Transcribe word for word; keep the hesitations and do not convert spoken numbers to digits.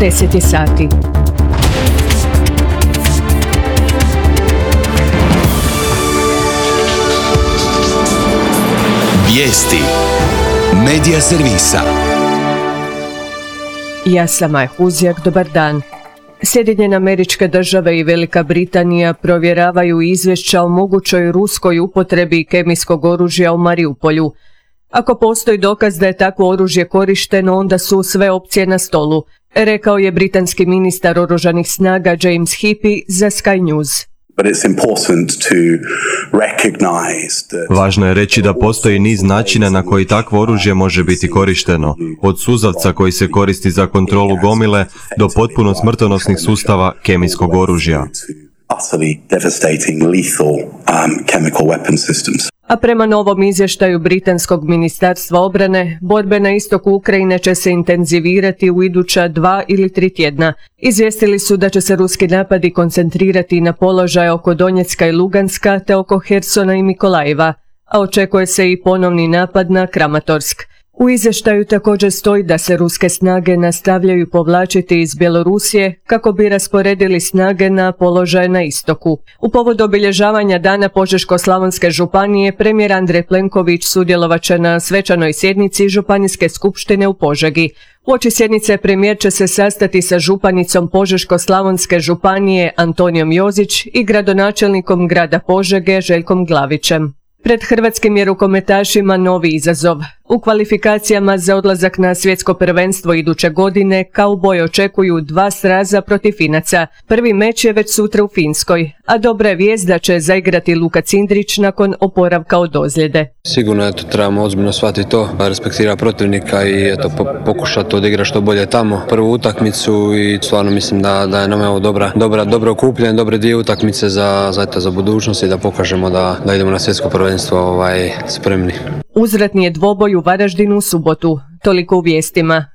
deset je sati. Vijesti Medija servisa. Ja sam Maja Huzjak, dobar dan. Sjedinjene Američke Države i Velika Britanija provjeravaju izvješća o mogućoj ruskoj upotrebi kemijskog oružja u Mariupolju. Ako postoji dokaz da je takvo oružje korišteno, onda su sve opcije na stolu, rekao je britanski ministar oružanih snaga James Heappey za Sky News. Važno je reći da postoji niz načina na koji takvo oružje može biti korišteno, od suzavca koji se koristi za kontrolu gomile do potpuno smrtonosnih sustava kemijskog oružja. A prema novom izvještaju Britanskog ministarstva obrane, borbe na istoku Ukrajine će se intenzivirati u iduća dva ili tri tjedna. Izvijestili su da će se ruski napadi koncentrirati na položaje oko Donjecka i Luganska te oko Hersona i Mikolajeva, a očekuje se i ponovni napad na Kramatorsk. U izvještaju također stoji da se ruske snage nastavljaju povlačiti iz Bjelorusije kako bi rasporedili snage na položaje na istoku. U povodu obilježavanja Dana Požeško-slavonske županije premijer Andrej Plenković sudjelovat će na svečanoj sjednici Županijske skupštine u Požegi. Uoči sjednice premijer će se sastati sa županicom Požeško-slavonske županije Antonijom Jozić i gradonačelnikom grada Požege Željkom Glavićem. Pred hrvatskim je rukometašima novi izazov. U kvalifikacijama za odlazak na svjetsko prvenstvo iduće godine kauboji očekuju dva sraza protiv Finaca. Prvi meč je već sutra u Finskoj, a dobra je vijest da će zaigrati Luka Cindrić nakon oporavka od ozljede. Sigurno eto, trebamo ozbiljno shvatiti to, respektirati protivnika i eto, po, pokušati odigrati što bolje tamo. Prvu utakmicu i stvarno mislim da, da je nam evo dobra, dobra, dobro okupljen, dobre dvije utakmice za, za, eto, za budućnost i da pokažemo da, da idemo na svjetsko prvenstvo ovaj, spremni. Uzvratni je dvoboj u Varaždinu u subotu. Toliko u vijestima.